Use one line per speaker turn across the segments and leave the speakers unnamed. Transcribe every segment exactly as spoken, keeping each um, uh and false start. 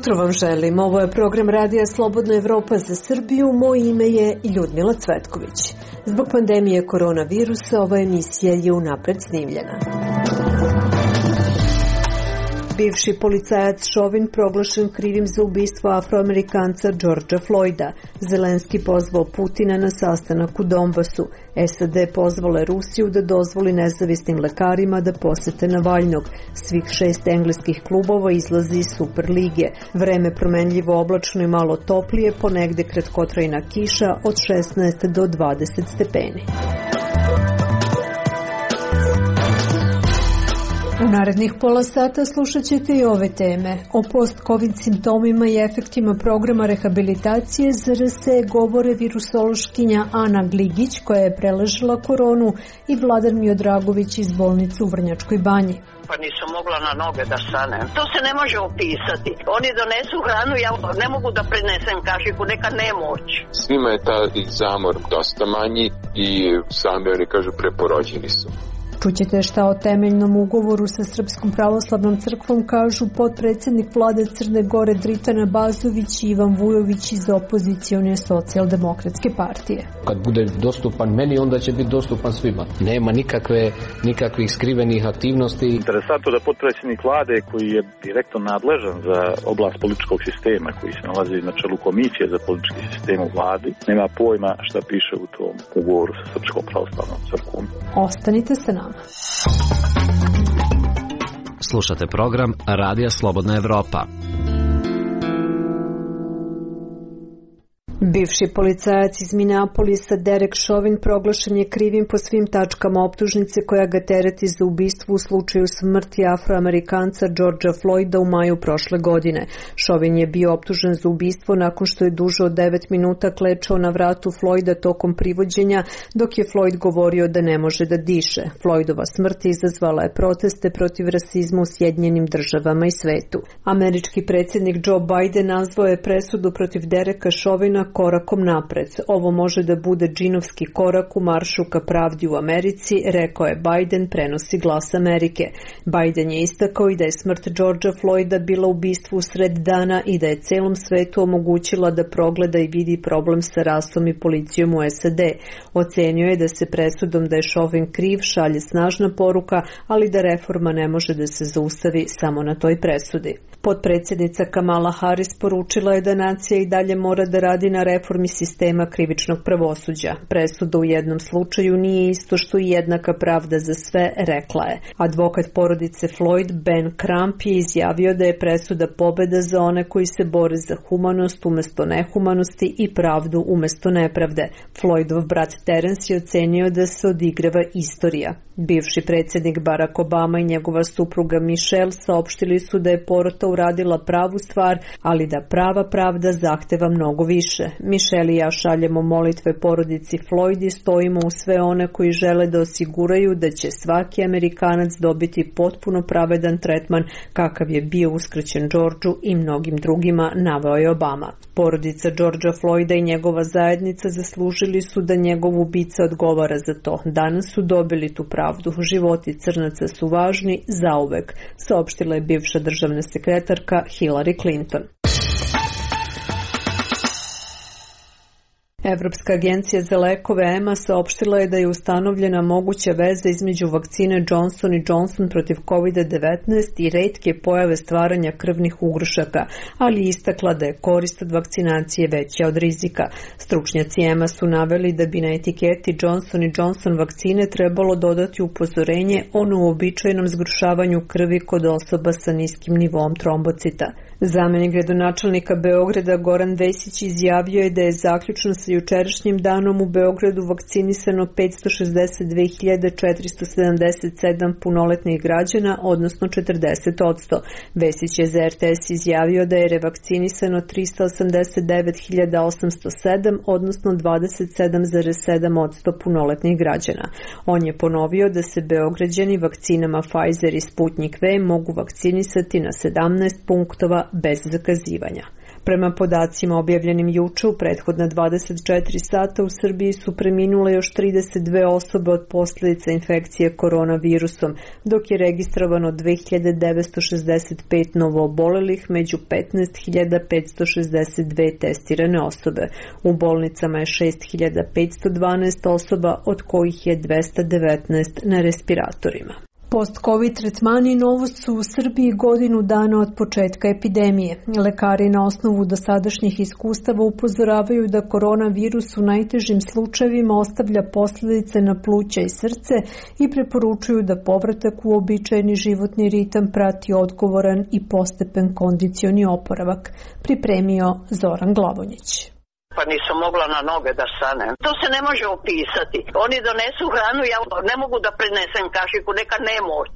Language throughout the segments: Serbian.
jutro vam želim. Ovo je program Radija Slobodna Evropa za Srbiju. Moje ime je Ljudmila Cvetković. Zbog pandemije koronavirusa ova emisija je unapred snimljena. Bivši policajac Chauvin proglašen krivim za ubistvo Afroamerikanca Georgea Floyda. Zelenski pozvao Putina na sastanak u Donbasu. S A D pozvale Rusiju da dozvoli nezavisnim lekarima da posete Navalnog. Svih šest engleskih klubova izlazi iz Superlige. Vreme promenljivo oblačno i malo toplije, ponegde kratkotrajna kiša od šesnaest do dvadeset stepeni. U narednih pola sata slušat ćete i ove teme. O post-covid simptomima i efektima programa rehabilitacije Z R S govore virusološkinja Ana Gligić, koja je preležala koronu, i Vladan Miodragović iz bolnice u Vrnjačkoj Banji.
Pa nisam mogla na noge da stanem. To se ne može opisati. Oni donesu hranu, ja ne mogu da prenesem kašiku, neka nemoć.
Svima je taj zamor dosta manji i sami oni kažu preporođeni su.
Čućete šta o temeljnom ugovoru sa Srpskom pravoslavnom crkvom kažu potpredsjednik vlade Crne Gore Dritana Bazović i Ivan Vujović iz opozicione socijaldemokratske partije.
Kad bude dostupan meni, onda će biti dostupan svima. Nema nikakve, nikakvih skrivenih aktivnosti.
Interesantno da potpredsjednik vlade, koji je direktno nadležan za oblast političkog sistema, koji se nalazi na čelu komisije za politički sistem u vladi, nema pojma šta piše u tom ugovoru sa Srpskom pravoslavnom crkvom.
Ostanite sa nama.
Slušate program Radija Slobodna Evropa.
Bivši policajac iz Minneapolisa Derek Chauvin proglašen je krivim po svim tačkama optužnice koja ga tereti za ubistvo u slučaju smrti Afroamerikanca Georgea Floyda u maju prošle godine. Chauvin je bio optužen za ubistvo nakon što je duže od devet minuta klečao na vratu Floyda tokom privođenja, dok je Floyd govorio da ne može da diše. Floydova smrt izazvala je proteste protiv rasizma u Sjedinjenim državama i svetu. Američki predsjednik Joe Biden nazvao je presudu protiv Dereka Chauvina korakom napred. Ovo može da bude džinovski korak u maršu ka pravdi u Americi, rekao je Biden, prenosi Glas Amerike. Biden je istakao i da je smrt Georgea Floyda bila ubistvo u sred dana i da je celom svetu omogućila da progleda i vidi problem sa rasom i policijom u S A D. Ocenio je da se presudom da je Chauvin kriv šalje snažna poruka, ali da reforma ne može da se zaustavi samo na toj presudi. Potpredsjednica Kamala Harris poručila je da nacija i dalje mora da radi na reformi sistema krivičnog pravosuđa. Presuda u jednom slučaju nije isto što i jednaka pravda za sve, rekla je. Advokat porodice Floyd, Ben Crump, je izjavio da je presuda pobeda za one koji se bore za humanost umesto nehumanosti i pravdu umesto nepravde. Floydov brat Terence je ocenio da se odigrava istorija. Bivši predsjednik Barack Obama i njegova supruga Michelle saopštili su da je porota uradila pravu stvar, ali da prava pravda zahteva mnogo više. Michelle i ja šaljemo molitve porodici Floyd i stojimo u sve one koji žele da osiguraju da će svaki Amerikanac dobiti potpuno pravedan tretman kakav je bio uskraćen Georgeu i mnogim drugima, naveo je Obama. Porodica Georgea Floyda i njegova zajednica zaslužili su da njegov ubica odgovara za to. Danas su dobili tu pravdu. Životi crnaca su važni zauvek, saopštila je bivša državna sekretarka Hillary Clinton. Evropska agencija za lekove E M A saopštila je da je ustanovljena moguća veza između vakcine Johnson and Johnson protiv kovid devetnaest i retke pojave stvaranja krvnih ugrušaka, ali istakla da je korist od vakcinacije veća od rizika. Stručnjaci E M A su naveli da bi na etiketi Johnson and Johnson vakcine trebalo dodati upozorenje o neuobičajenom zgrušavanju krvi kod osoba sa niskim nivom trombocita. Zamenik gradonačelnika Beograda Goran Vesić izjavio je da je zaključno sa jučerašnjim danom u Beogradu vakcinisano petsto šezdeset dve hiljade četiristo sedamdeset sedam punoletnih građana, odnosno četrdeset posto. Vesić je za R T S izjavio da je revakcinisano tristo osamdeset devet hiljada osamsto sedam, odnosno dvadeset sedam zarez sedam posto punoletnih građana. On je ponovio da se Beograđani vakcinama Pfizer i Sputnik V mogu vakcinisati na sedamnaest punktova bez zakazivanja. Prema podacima objavljenim juče, u prethodna dvadeset četiri sata u Srbiji su preminule još trideset dve osobe od posljedica infekcije koronavirusom, dok je registrovano dve hiljade devetsto šezdeset pet novoobolelih među petnaest hiljada petsto šezdeset dve testirane osobe. U bolnicama je šest hiljada petsto dvanaest osoba, od kojih je dvesta devetnaest na respiratorima. Post-covid tretmani novost su u Srbiji godinu dana od početka epidemije. Lekari na osnovu dosadašnjih iskustava upozoravaju da koronavirus u najtežim slučajevima ostavlja posljedice na pluća i srce i preporučuju da povratak u uobičajeni životni ritam prati odgovoran i postepen kondicioni oporavak, pripremio Zoran Glavonjić.
Pa nisam mogla na noge da stanem. To se ne može opisati. Oni donesu hranu, ja ne mogu da prenesem kašiku, neka nemoć.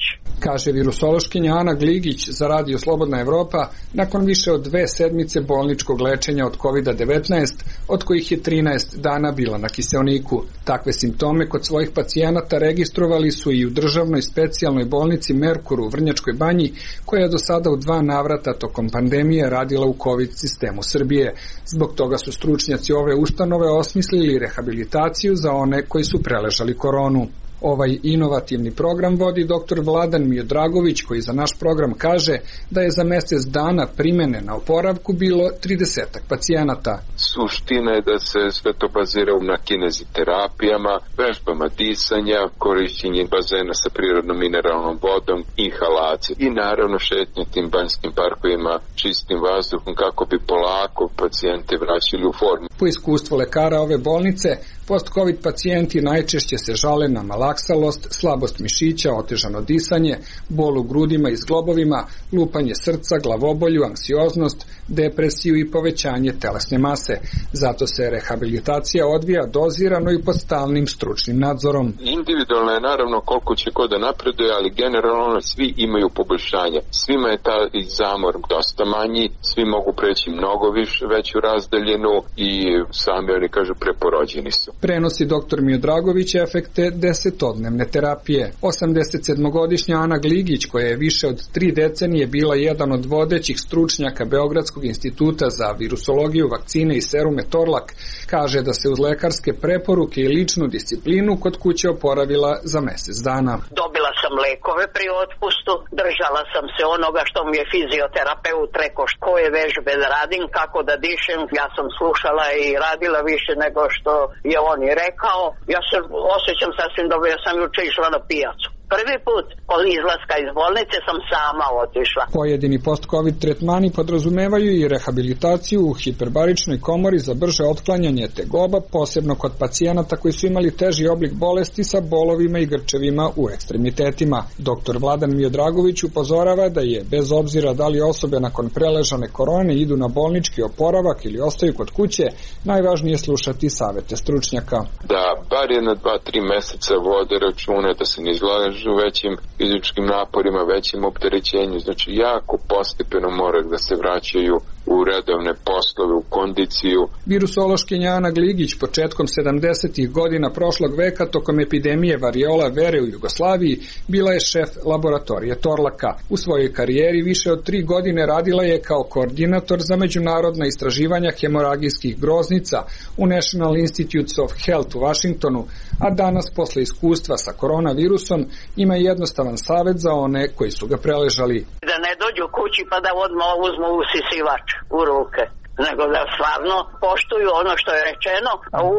Kaže virusološkinja Ana Gligić za Radio Slobodna Evropa nakon više od dve sedmice bolničkog lečenja od kovid devetnaest, od kojih je trinaest dana bila na kiseoniku. Takve simptome kod svojih pacijenata registrovali su i u državnoj specijalnoj bolnici Merkur u Vrnjačkoj Banji, koja je do sada u dva navrata tokom pandemije radila u COVID sistemu Srbije. Zbog toga su stručnjaci ove ustanove osmislili rehabilitaciju za one koji su preležali koronu. Ovaj inovativni program vodi doktor Vladan Miodragović, koji za naš program kaže da je za mjesec dana primene na oporavku bilo tridesetak pacijenata.
Suština je da se sve to bazira na kineziterapijama, vežbama disanja, korišćenje bazena sa prirodnom mineralnom vodom, inhalacije i naravno šetnje tim banjskim parkovima čistim vazduhom kako bi polako pacijente vraćali u formu.
Po iskustvu lekara ove bolnice, post-covid pacijenti najčešće se žale na malaksalost, slabost mišića, otežano disanje, bol u grudima i zglobovima, lupanje srca, glavobolju, anksioznost, depresiju i povećanje telesne mase. Zato se rehabilitacija odvija dozirano i pod stalnim stručnim nadzorom.
Individualno je naravno koliko će ko da napreduje, ali generalno svi imaju poboljšanja. Svima je taj zamor dosta manji, svi mogu preći mnogo više, veću razdaljenu i sami oni kažu preporođeni su.
Prenosi doktor Miodragović efekte desetodnevne terapije. osamdesetsedmogodišnja Ana Gligić, koja je više od tri decenije bila jedan od vodećih stručnjaka Beogradskog instituta za virusologiju, vakcine i serume Torlak, kaže da se uz lekarske preporuke i ličnu disciplinu kod kuće oporavila za mjesec dana.
Dobila sam lekove pri otpustu, držala sam se onoga što mi je fizioterapeut rekao koje vežbe da radim, kako da dišem. Ja sam slušala i radila više nego što je on i rekao. Ja se osjećam sasvim dobro, ja sam juče išla na pijacu. Prvi put od izlaska iz bolnice sam sama otišla.
Pojedini post-covid tretmani podrazumevaju i rehabilitaciju u hiperbaričnoj komori za brže otklanjanje tegoba, posebno kod pacijenata koji su imali teži oblik bolesti sa bolovima i grčevima u ekstremitetima. Doktor Vladan Miodragović upozorava da je, bez obzira da li osobe nakon preležane korone idu na bolnički oporavak ili ostaju kod kuće, najvažnije slušati savete stručnjaka.
Da bar jedna, dva, tri meseca vode račune, da se ne izlažu u većim fizičkim naporima, većim opterećenju, znači jako postepeno mora da se vraćaju u redovne poslove, u kondiciju.
Virusološkinja Ana Gligić početkom sedamdesetih godina prošlog veka tokom epidemije variola vere u Jugoslaviji bila je šef laboratorije Torlaka. U svojoj karijeri više od tri godine radila je kao koordinator za međunarodna istraživanja hemoragijskih groznica u National Institutes of Health u Washingtonu, a danas posle iskustva sa koronavirusom ima jednostavan savjet za one koji su ga preležali.
Da ne dođu kući pa da odmah uzmu usisivač u ruke, nego da stvarno poštuju ono što je rečeno u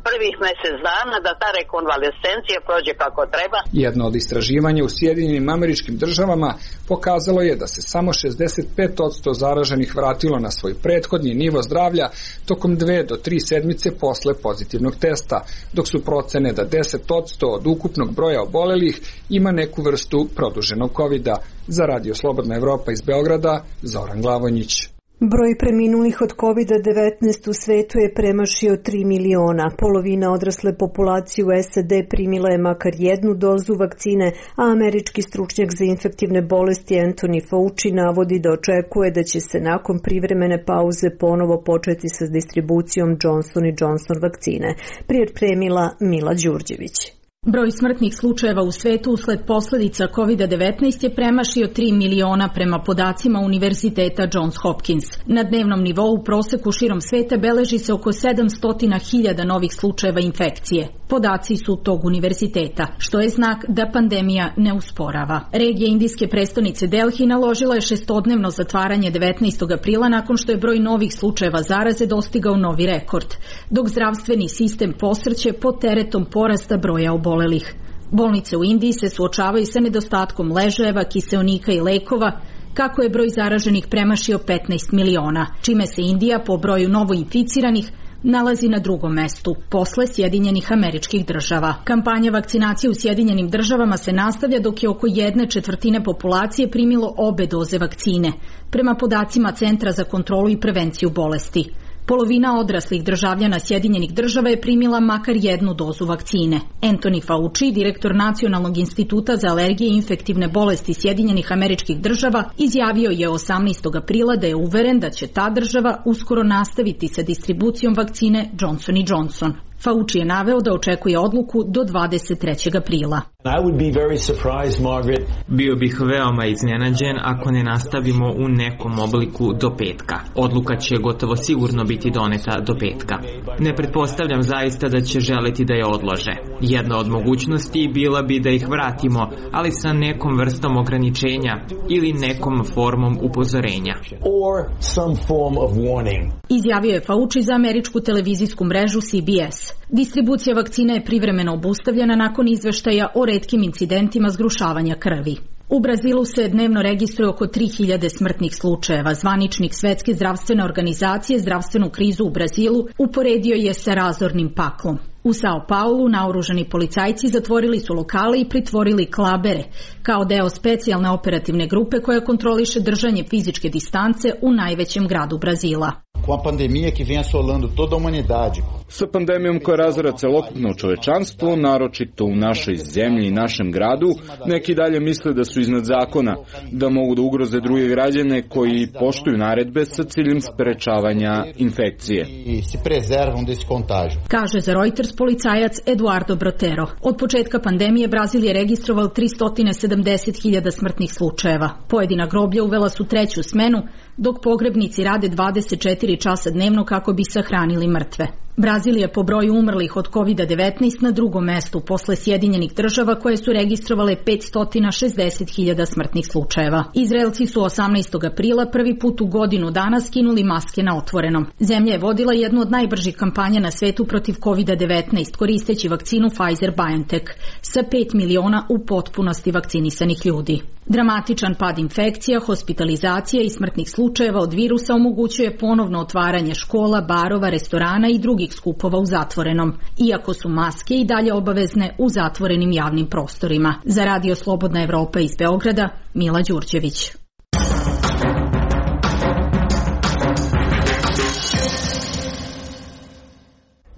prvih mjesec dana, da ta rekonvalescencija prođe kako treba.
Jedno od istraživanja u Sjedinjenim Američkim Državama pokazalo je da se samo šezdeset pet posto zaraženih vratilo na svoj prethodni nivo zdravlja tokom dve do tri sedmice posle pozitivnog testa, dok su procene da deset posto od ukupnog broja obolelih ima neku vrstu produženog kovida. Za Radio Slobodna Evropa iz Beograda, Zoran Glavonjić.
Broj preminulih od kovid devetnaest u svetu je premašio tri miliona. Polovina odrasle populacije u S A D primila je makar jednu dozu vakcine, a američki stručnjak za infektivne bolesti Anthony Fauci navodi da očekuje da će se nakon privremene pauze ponovo početi sa distribucijom Johnson and Johnson vakcine. Pripremila Mila Đurđević.
Broj smrtnih slučajeva u svetu usled posledica kovid devetnaest je premašio tri miliona prema podacima Univerziteta Johns Hopkins. Na dnevnom nivou u proseku širom sveta beleži se oko sedamsto hiljada novih slučajeva infekcije. Podaci su tog univerziteta, što je znak da pandemija ne usporava. Regija indijske prestonice Delhi naložila je šestodnevno zatvaranje devetnaestog aprila nakon što je broj novih slučajeva zaraze dostigao novi rekord, dok zdravstveni sistem posrće pod teretom porasta broja obolelih. Bolnice u Indiji se suočavaju sa nedostatkom ležajeva, kiseonika i lekova, kako je broj zaraženih premašio petnaest miliona, čime se Indija po broju novoinficiranih nalazi na drugom mestu, posle Sjedinjenih Američkih Država. Kampanja vakcinacije u Sjedinjenim Državama se nastavlja dok je oko jedne četvrtine populacije primilo obe doze vakcine, prema podacima Centra za kontrolu i prevenciju bolesti. Polovina odraslih državljana Sjedinjenih Država je primila makar jednu dozu vakcine. Anthony Fauci, direktor Nacionalnog instituta za alergije i infektivne bolesti Sjedinjenih Američkih Država, izjavio je osamnaestog aprila da je uveren da će ta država uskoro nastaviti sa distribucijom vakcine Johnson and Johnson. Fauci je naveo da očekuje odluku do dvadeset trećeg aprila.
I would be very surprised, Margaret.
Bio bih veoma iznenađen ako ne nastavimo u nekom obliku do petka. Odluka će gotovo sigurno biti doneta do petka. Ne pretpostavljam zaista da će želeti da je odlože. Jedna od mogućnosti bila bi da ih vratimo, ali sa nekom vrstom ograničenja ili nekom formom upozorenja.
Or some form of warning.
Izjavio je Fauci za američku televizijsku mrežu C B S. Distribucija vakcina je privremeno obustavljena nakon izveštaja o retkim incidentima zgrušavanja krvi. U Brazilu se dnevno registruje oko tri hiljade smrtnih slučajeva. Zvaničnik Svetske zdravstvene organizacije zdravstvenu krizu u Brazilu uporedio je sa razornim paklom. U Sao Paulu naoružani policajci zatvorili su lokale i pritvorili klabere, kao deo specijalne operativne grupe koja kontroliše držanje fizičke distance u najvećem gradu Brazila.
Com a pandemia que vem assolando toda a humanidade.
Sa pandemijom koja razara celokupno čovečanstvo, naročito u našoj zemlji i našem gradu, neki dalje misle da su iznad zakona, da mogu da ugroze druge građane koji poštuju naredbe sa ciljem sprečavanja infekcije.
I se preservam desse contágio.
Kaže za Reuters policajac Eduardo Brotero. Od početka pandemije Brazil je registrovao tristo sedamdeset hiljada smrtnih slučajeva. Pojedina groblja uvela su treću smenu, dok pogrebnici rade dvadeset četiri časa dnevno kako bi sahranili mrtve. Brazil je po broju umrlih od kovid devetnaest na drugom mestu posle Sjedinjenih Država koje su registrovale petsto šezdeset hiljada smrtnih slučajeva. Izraelci su osamnaestog aprila prvi put u godinu dana skinuli maske na otvorenom. Zemlja je vodila jednu od najbržih kampanja na svetu protiv kovid devetnaest koristeći vakcinu Pfizer-BioNTech sa pet miliona u potpunosti vakcinisanih ljudi. Dramatičan pad infekcija, hospitalizacija i smrtnih slučajeva od virusa omogućuje ponovno otvaranje škola, barova, restorana i drugih skupova u zatvorenom, iako su maske i dalje obavezne u zatvorenim javnim prostorima. Za Radio Slobodna Evropa iz Beograda, Mila Đurđević.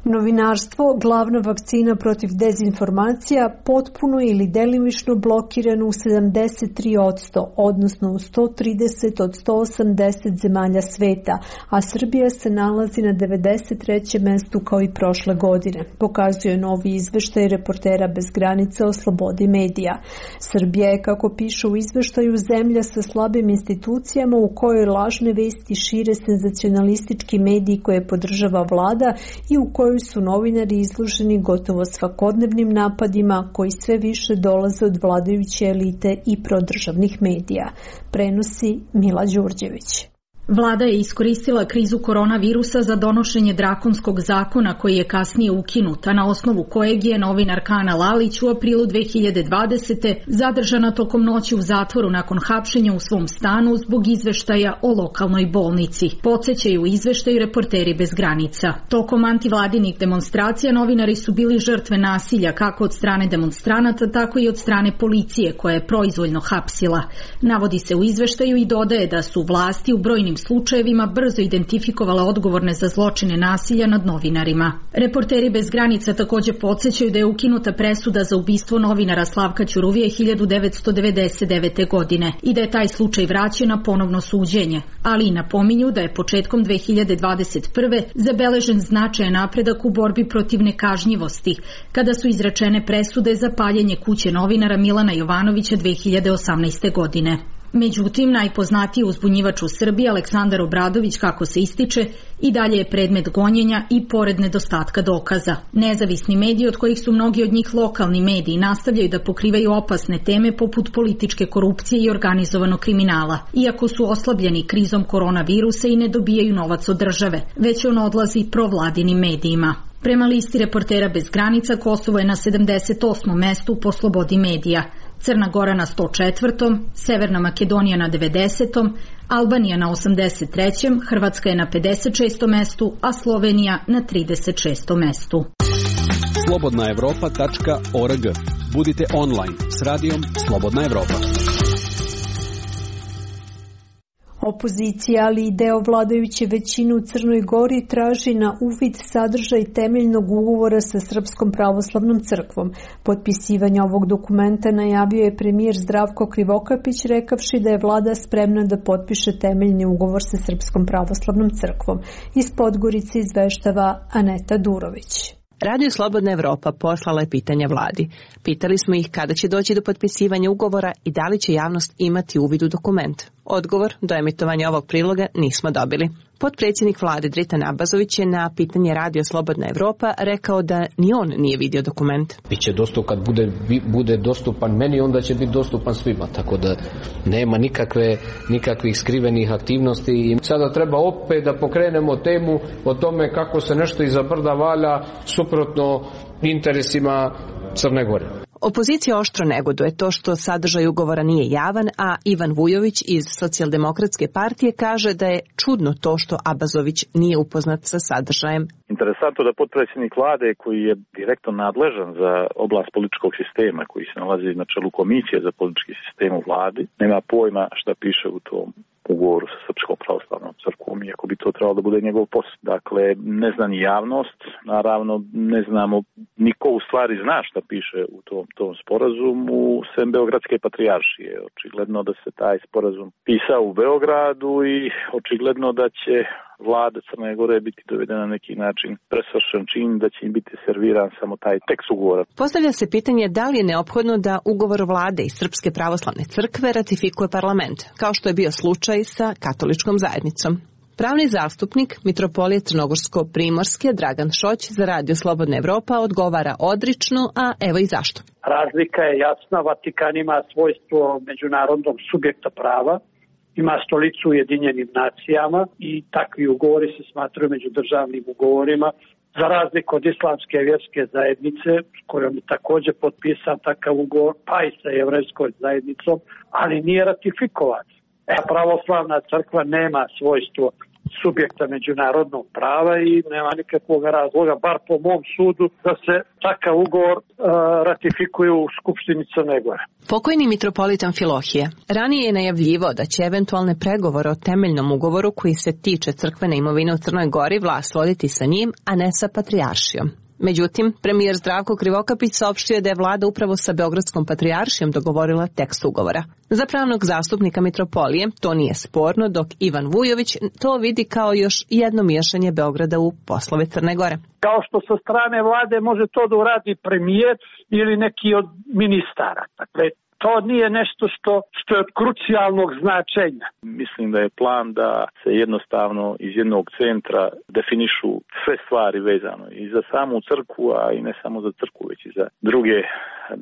Novinarstvo, glavna vakcina protiv dezinformacija, potpuno ili delimično blokirano u sedamdeset tri posto, odnosno u sto trideset od sto osamdeset zemalja sveta, a Srbija se nalazi na devedeset trećem mestu kao i prošle godine, pokazuje novi izveštaj Reportera bez granica o slobodi medija. Srbija je, kako piše u izveštaju, zemlja sa slabim institucijama u kojoj lažne vesti šire senzacionalistički mediji koje podržava vlada i u kojoj su novinari izloženi gotovo svakodnevnim napadima koji sve više dolaze od vladajuće elite i prodržavnih medija, prenosi Mila Đurđević.
Vlada je iskoristila krizu koronavirusa za donošenje drakonskog zakona koji je kasnije ukinut, a na osnovu kojeg je novinarka Ana Lalić u aprilu dve hiljade dvadesete zadržana tokom noći u zatvoru nakon hapšenja u svom stanu zbog izveštaja o lokalnoj bolnici. Podsećaju izveštaju Reporteri bez granica. Tokom antivladinih demonstracija novinari su bili žrtve nasilja kako od strane demonstranata, tako i od strane policije koja je proizvoljno hapsila. Navodi se u izveštaju i dodaje da su vlasti u brojnim slučajevima brzo identifikovala odgovorne za zločine nasilja nad novinarima. Reporteri bez granica takođe podsjećaju da je ukinuta presuda za ubistvo novinara Slavka Ćuruvije hiljadu devetsto devedeset devete. godine i da je taj slučaj vraćen na ponovno suđenje, ali i napominju da je početkom dve hiljade dvadeset prve. zabeležen značajan napredak u borbi protiv nekažnjivosti, kada su izrečene presude za paljenje kuće novinara Milana Jovanovića dve hiljade osamnaeste. godine. Međutim, najpoznatiji uzbunjivač u Srbiji, Aleksandar Obradović, kako se ističe, i dalje je predmet gonjenja i pored nedostatka dokaza. Nezavisni mediji, od kojih su mnogi od njih lokalni mediji, nastavljaju da pokrivaju opasne teme poput političke korupcije i organizovanog kriminala, iako su oslabljeni krizom koronavirusa i ne dobijaju novac od države, već on odlazi provladinim medijima. Prema listi Reportera bez granica, Kosovo je na sedamdeset osmom mestu po slobodi medija, Crna Gora na sto četvrtom, Severna Makedonija na devedesetom, Albanija na osamdeset trećem, Hrvatska je na pedeset šestom mestu, a Slovenija na trideset šestom mestu.
slobodna evropa tačka org. Budite online s radijom Slobodna Evropa.
Opozicija, ali i deo vladajuće većine u Crnoj Gori traži na uvid sadržaj temeljnog ugovora sa Srpskom pravoslavnom crkvom. Potpisivanje ovog dokumenta najavio je premijer Zdravko Krivokapić, rekavši da je vlada spremna da potpiše temeljni ugovor sa Srpskom pravoslavnom crkvom. Iz Podgorice izveštava Aneta Durović.
Radio Slobodna Evropa poslala je pitanja vladi. Pitali smo ih kada će doći do potpisivanja ugovora i da li će javnost imati uvid u dokument. Odgovor do emitovanja ovog priloga nismo dobili. Potpredsjednik vlade Dritan Abazović je na pitanje Radio Slobodna Evropa rekao da ni on nije vidio dokument.
Biće dostup, kad bude, bude dostupan meni, onda će biti dostupan svima, tako da nema nikakve, nikakvih skrivenih aktivnosti. I sada treba opet da pokrenemo temu o tome kako se nešto iza brda valja suprotno interesima Crne Gore.
Opozicija oštro negoduje to što sadržaj ugovora nije javan, a Ivan Vujović iz Socijaldemokratske partije kaže da je čudno to što Abazović nije upoznat sa sadržajem.
Interesantno da potpredsjednik vlade, koji je direktno nadležan za oblast političkog sistema, koji se nalazi na čelu komisije za politički sistem u vladi, nema pojma šta piše u tom ugovoru sa Srpskom pravoslavnom crkvom, iako bi to trebalo da bude njegov posao. Dakle, ne zna ni javnost, naravno ne znamo, niko u stvari zna šta piše u tom, tom sporazumu, sem Beogradske patrijaršije. Očigledno da se taj sporazum pisao u Beogradu i očigledno da će vlada Crne Gore biti dovedena na neki način presvršen čin, da će im biti serviran samo taj tekst ugovora.
Postavlja se pitanje da li je neophodno da ugovor vlade i Srpske pravoslavne crkve ratifikuje parlament, kao što je bio slučaj sa katoličkom zajednicom. Pravni zastupnik Mitropolije Crnogorsko-Primorske Dragan Šoć za Radio Slobodna Evropa odgovara odrično, a evo i zašto.
Razlika je jasna, Vatikan ima svojstvo međunarodnog subjekta prava, ima stolicu u Ujedinjenim nacijama i takvi ugovori se smatraju međudržavnim ugovorima, za razliku od islamske vjerske zajednice, s kojom je također potpisan takav ugovor, pa i sa jevrejskom zajednicom, ali nije ratifikovan. E, pravoslavna crkva nema svojstvo subjekta međunarodnog prava i nema nikakvog razloga, bar po mom sudu, da se takav ugovor uh, ratifikuje u Skupštini Crne Gore.
Pokojni mitropolit Amfilohije ranije je najavljivao da će eventualne pregovore o temeljnom ugovoru koji se tiče crkvene imovine u Crnoj Gori vlast voditi sa njim, a ne sa patrijaršijom. Međutim, premijer Zdravko Krivokapić saopštio je da je vlada upravo sa Beogradskom patrijaršijom dogovorila tekst ugovora. Za pravnog zastupnika mitropolije to nije sporno, dok Ivan Vujović to vidi kao još jedno miješanje Beograda u poslove Crne Gore.
Kao što sa strane vlade može to da uradi premijer ili neki od ministara. Dakle, to nije nešto što, što je od krucijalnog značenja.
Mislim da je plan da se jednostavno iz jednog centra definišu sve stvari vezano i za samu crkvu, a i ne samo za crkvu, već i za druge,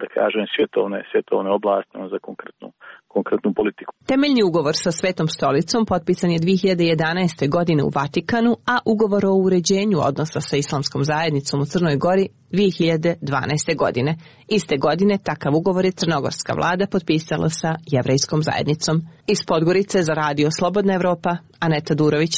da kažem, svjetovne, svjetovne oblasti, za konkretnu, konkretnu politiku.
Temeljni ugovor sa Svetom stolicom potpisan je dve hiljade jedanaeste. godine u Vatikanu, a ugovor o uređenju odnosa sa islamskom zajednicom u Crnoj Gori dve hiljade dvanaeste. godine. Iste godine takav ugovor je crnogorska vlada potpisala sa jevrejskom zajednicom. Iz Podgorice za Radio Slobodna Evropa, Aneta Durović.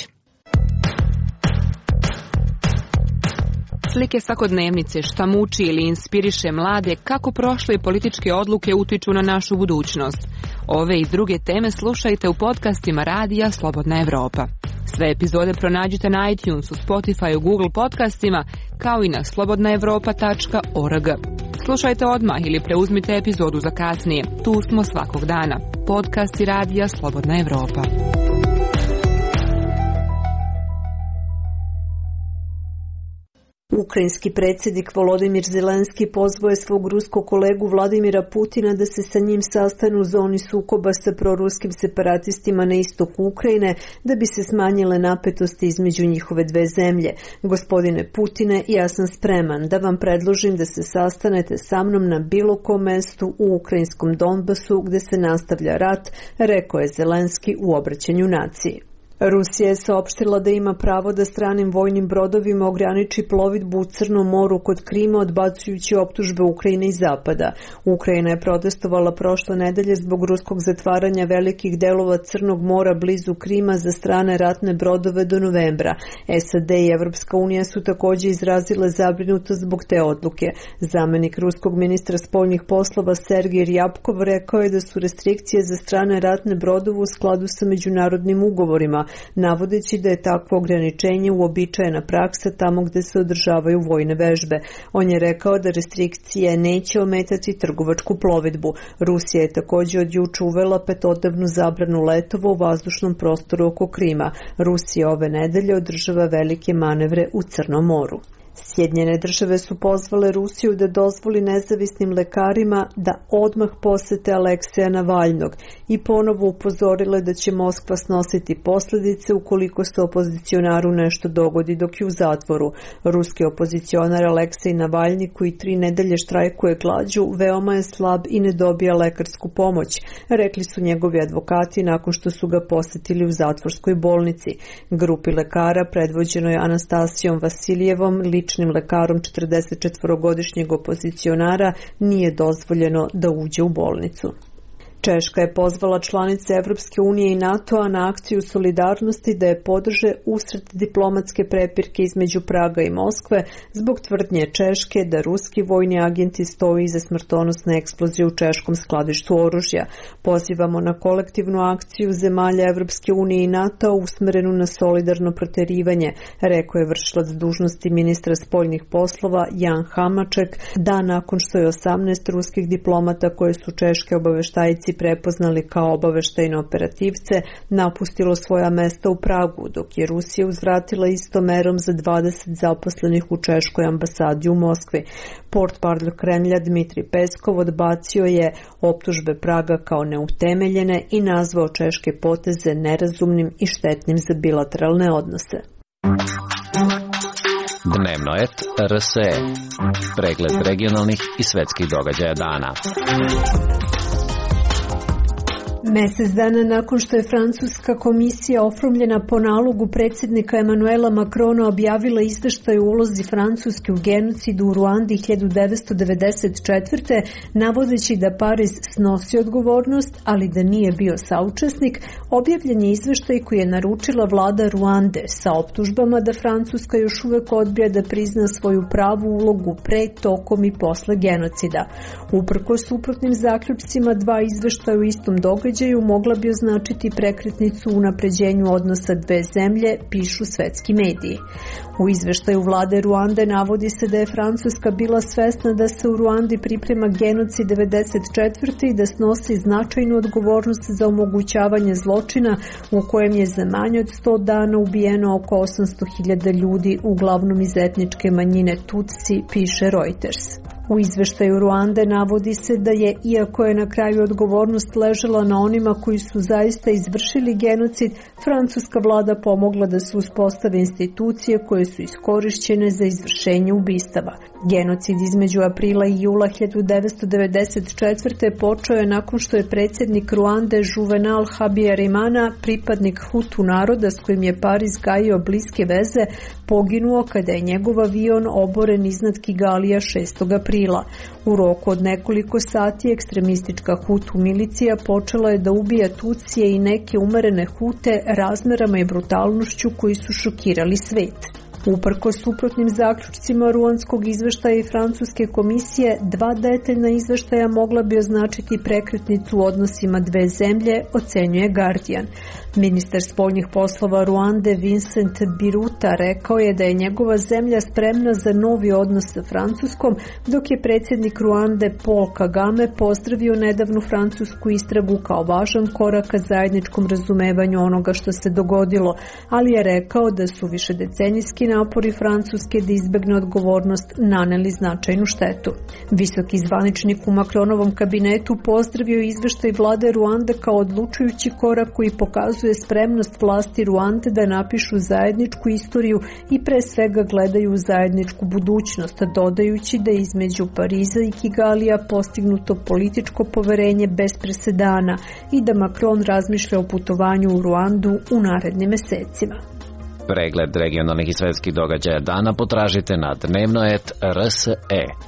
Slike svakodnevnice, šta muči ili inspiriše mlade, kako prošle političke odluke utiču na našu budućnost.
Ove i druge teme slušajte u podcastima Radija Slobodna Evropa. Sve epizode pronađite na iTunesu, Spotifyu, Google podcastima, kao i na slobodna evropa tačka org. Slušajte odmah ili preuzmite epizodu za kasnije. Tu smo svakog dana. Podcasti Radija Slobodna Evropa.
Ukrajinski predsjednik Volodimir Zelenski pozvao je svog ruskog kolegu Vladimira Putina da se sa njim sastanu u zoni sukoba sa proruskim separatistima na istoku Ukrajine da bi se smanjile napetosti između njihove dve zemlje. Gospodine Putine, ja sam spreman da vam predložim da se sastanete sa mnom na bilo kom mestu u ukrajinskom Donbasu gde se nastavlja rat, rekao je Zelenski u obraćanju naciji. Rusija je saopštila da ima pravo da stranim vojnim brodovima ograniči plovidbu u Crnom moru kod Krima, odbacujući optužbe Ukrajine i Zapada. Ukrajina je protestovala prošle nedelje zbog ruskog zatvaranja velikih delova Crnog mora blizu Krima za strane ratne brodove do novembra. S A D i Evropska unija su također izrazile zabrinutost zbog te odluke. Zamenik ruskog ministra spoljnih poslova Sergej Ryabkov rekao je da su restrikcije za strane ratne brodove u skladu sa međunarodnim ugovorima, navodeći da je takvo ograničenje uobičajena praksa tamo gde se održavaju vojne vežbe. On je rekao da restrikcije neće ometati trgovačku plovidbu. Rusija je također od juče uvela petodnevnu zabranu letova u vazdušnom prostoru oko Krima. Rusija ove nedelje održava velike manevre u Crnom moru. Sjedinjene države su pozvale Rusiju da dozvoli nezavisnim lekarima da odmah posete Alekseja Navalnog i ponovo upozorile da će Moskva snositi posljedice ukoliko se opozicionaru nešto dogodi dok je u zatvoru. Ruski opozicionar Aleksej Navalni, koji tri nedelje štrajkuje glađu, veoma je slab i ne dobija lekarsku pomoć, rekli su njegovi advokati nakon što su ga posjetili u zatvorskoj bolnici. Grupi lekara predvođenoj Anastasijom Vasilijevom, ličnim lekarom četrdesetčetvorogodišnjeg opozicionara, nije dozvoljeno da uđe u bolnicu. Češka je pozvala članice Evropske unije i NATO-a na akciju solidarnosti da je podrže usred diplomatske prepirke između Praga i Moskve zbog tvrdnje Češke da ruski vojni agenti stoji iza smrtonosne eksplozije u češkom skladištu oružja. Pozivamo na kolektivnu akciju zemalja Evropske unije i NATO-a usmerenu na solidarno proterivanje, rekao je vršilac dužnosti ministra spoljnih poslova Jan Hamaček, dan nakon što je osamnaest ruskih diplomata koje su češke obaveštajci prepoznali kao obaveštajne operativce napustilo svoja mesta u Pragu, dok je Rusija uzvratila istom merom za dvadeset zaposlenih u češkoj ambasadi u Moskvi. Portparol Kremlja Dmitri Peskov odbacio je optužbe Praga kao neutemeljene i nazvao češke poteze nerazumnim i štetnim za bilateralne odnose.
Dnevno et R S E. Pregled regionalnih i svetskih događaja dana.
Mesec dana nakon što je francuska komisija oformljena po nalogu predsjednika Emanuela Macrona objavila izveštaj o ulozi Francuske u genocidu u Ruandi hiljadu devetsto devedeset četvrte. navodeći da Pariz snosi odgovornost, ali da nije bio saučesnik, objavljen je izveštaj koji je naručila vlada Ruande sa optužbama da Francuska još uvek odbija da prizna svoju pravu ulogu pre, tokom i posle genocida. Uprkos suprotnim zaključcima, dva izveštaja u istom događaju mogla bi označiti prekretnicu u unapređenju odnosa dve zemlje, pišu svetski mediji. U izveštaju vlade Ruande navodi se da je Francuska bila svesna da se u Ruandi priprema genocid devedeset četvrte i da snosi značajnu odgovornost za omogućavanje zločina u kojem je za manje od sto dana ubijeno oko osamsto hiljada ljudi, uglavnom iz etničke manjine Tutsi, piše Reuters. U izveštaju Ruande navodi se da je, iako je na kraju odgovornost ležala na onima koji su zaista izvršili genocid, francuska vlada pomogla da se uspostave institucije koje su iskorišćene za izvršenje ubistava. Genocid između aprila i jula hiljadu devetsto devedeset četvrte. počeo je nakon što je predsjednik Ruande Juvenal Habyarimana, pripadnik Hutu naroda s kojim je Pariz gajio bliske veze, poginuo kada je njegov avion oboren iznad Kigalija šestog aprila. U roku od nekoliko sati ekstremistička Hutu milicija počela je da ubija Tutsije i neke umerene Hute razmerama i brutalnošću koji su šokirali svet. Uprkos suprotnim zaključcima ruandskog izveštaja i francuske komisije, dva detaljna izveštaja mogla bi označiti prekretnicu u odnosima dve zemlje, ocenjuje Guardian. Ministar spoljnih poslova Ruande Vincent Biruta rekao je da je njegova zemlja spremna za novi odnos sa Francuskom, dok je predsjednik Ruande Paul Kagame pozdravio nedavnu francusku istragu kao važan korak ka zajedničkom razumevanju onoga što se dogodilo, ali je rekao da su višedecenijski napori Francuske da izbegne odgovornost naneli značajnu štetu. Visoki zvaničnik u Macronovom kabinetu pozdravio izveštaj vlade Ruande kao odlučujući korak koji pokazuje spremnost vlasti Ruande da napišu zajedničku istoriju i pre svega gledaju u zajedničku budućnost, dodajući da je između Pariza i Kigalija postignuto političko poverenje bez presedana i da Macron razmišlja o putovanju u Ruandu u narednim mesecima.
Pregled regionalnih i svetskih događaja dana potražite na dnevno et er es e,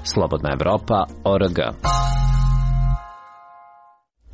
Slobodna Evropa, org.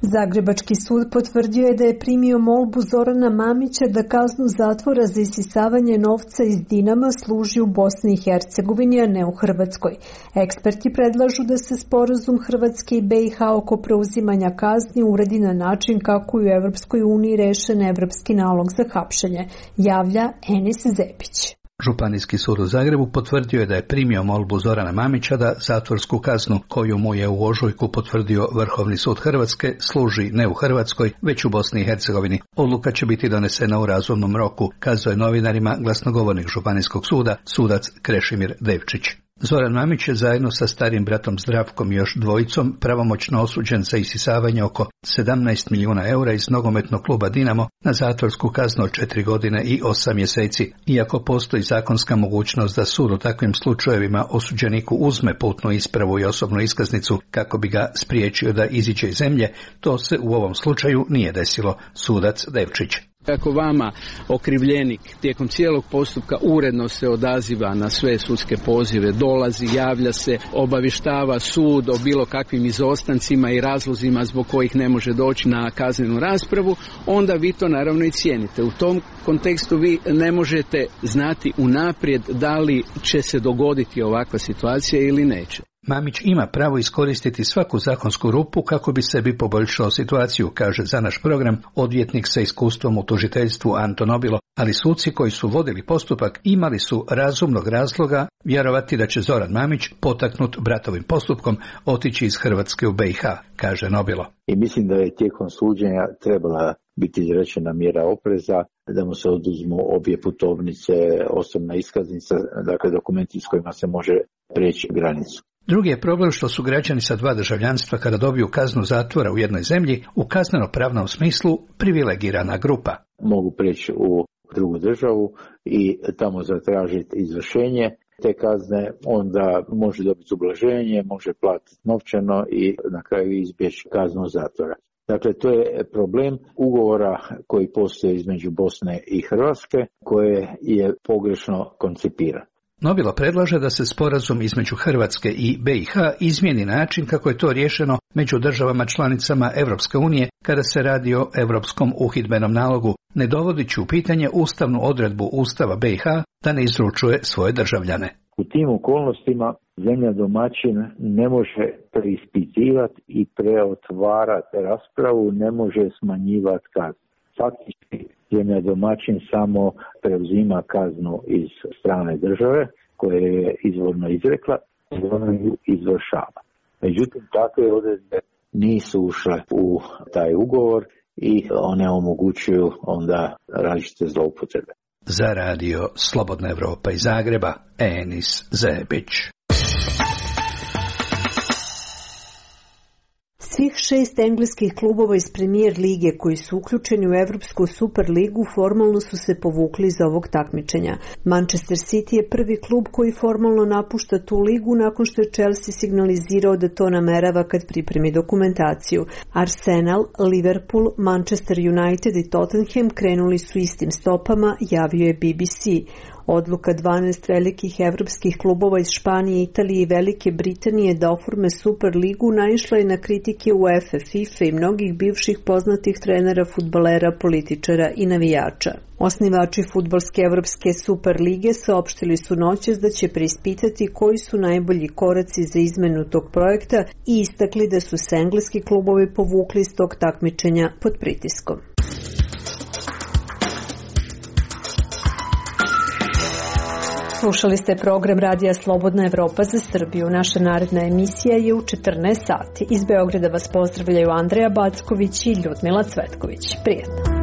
Zagrebački sud potvrdio je da je primio molbu Zorana Mamića da kaznu zatvora za isisavanje novca iz Dinama služi u Bosni i Hercegovini, a ne u Hrvatskoj. Eksperti predlažu da se sporazum Hrvatske i be i ha oko preuzimanja kazni uredi na način kako je u Evropskoj uniji rešen evropski nalog za hapšenje, javlja Enis Zepić.
Županijski sud u Zagrebu potvrdio je da je primio molbu Zorana Mamića da zatvorsku kaznu koju mu je u ožujku potvrdio Vrhovni sud Hrvatske služi ne u Hrvatskoj, već u Bosni i Hercegovini. Odluka će biti donesena u razumnom roku, kazao je novinarima glasnogovornik Županijskog suda, sudac Krešimir Devčić. Zoran Mamić je zajedno sa starim bratom Zdravkom i još dvojicom pravomoćno osuđen za isisavanje oko sedamnaest milijuna eura iz nogometnog kluba Dinamo na zatvorsku kaznu od četiri godine i osam mjeseci. Iako postoji zakonska mogućnost da sud u takvim slučajevima osuđeniku uzme putnu ispravu i osobnu iskaznicu kako bi ga spriječio da iziđe iz zemlje, to se u ovom slučaju nije desilo, sudac Devčić.
Ako vama okrivljenik tijekom cijelog postupka uredno se odaziva na sve sudske pozive, dolazi, javlja se, obavještava sud o bilo kakvim izostancima i razlozima zbog kojih ne može doći na kaznenu raspravu, onda vi to naravno i cijenite. U tom kontekstu vi ne možete znati unaprijed da li će se dogoditi ovakva situacija ili neće.
Mamić ima pravo iskoristiti svaku zakonsku rupu kako bi sebi poboljšao situaciju, kaže za naš program odvjetnik sa iskustvom u tužiteljstvu Anto Nobilo, ali suci koji su vodili postupak imali su razumnog razloga vjerovati da će Zoran Mamić, potaknut bratovim postupkom, otići iz Hrvatske u be i ha, kaže Nobilo.
I mislim da je tijekom suđenja trebala biti izrečena mjera opreza, da mu se oduzmu obje putovnice, osobna iskaznica, dakle dokumenti s kojima se može prijeći granicu.
Drugi je problem što su građani sa dva državljanstva kada dobiju kaznu zatvora u jednoj zemlji u kazneno-pravnom smislu privilegirana grupa.
Mogu prijeći u drugu državu i tamo zatražiti izvršenje te kazne, onda može dobiti ublaženje, može platiti novčano i na kraju izbjeći kaznu zatvora. Dakle, to je problem ugovora koji postoji između Bosne i Hrvatske, koje je pogrešno koncipiran.
Nobilo predlaže da se sporazum između Hrvatske i be i ha izmijeni način kako je to riješeno među državama članicama Europske unije kada se radi o Europskom uhidbenom nalogu, ne dovodeći u pitanje ustavnu odredbu Ustava be i ha da ne izručuje svoje državljane.
U tim okolnostima zemlja domaćin ne može preispitivati i preotvarati raspravu, ne može smanjivati kaznu. Faktički zemlja domaćin samo preuzima kaznu iz strane države koje je izvorno izrekla i ona ju izvršava. Međutim, takve odredbe nisu ušle u taj ugovor i one omogućuju onda različite zloupotrebe.
Za radio Slobodna Evropa iz Zagreba, Enis Zebić.
Svih šest engleskih klubova iz Premier lige koji su uključeni u Evropsku Superligu formalno su se povukli iz ovog takmičenja. Manchester City je prvi klub koji formalno napušta tu ligu nakon što je Chelsea signalizirao da to namerava kad pripremi dokumentaciju. Arsenal, Liverpool, Manchester United i Tottenham krenuli su istim stopama, javio je be be ce. Odluka dvanaest velikih evropskih klubova iz Španije, Italije i Velike Britanije da oforme Superligu naišla je na kritike UEFA, FIFA i mnogih bivših poznatih trenera, fudbalera, političara i navijača. Osnivači fudbalske evropske Superlige saopštili su noćas da će preispitati koji su najbolji koraci za izmenu tog projekta i istakli da su se engleski klubovi povukli iz tog takmičenja pod pritiskom. Slušali ste program Radija Slobodna Evropa za Srbiju. Naša naredna emisija je u četrnaest sati. Iz Beograda vas pozdravljaju Andreja Backović i Ljudmila Cvetković. Prijetno.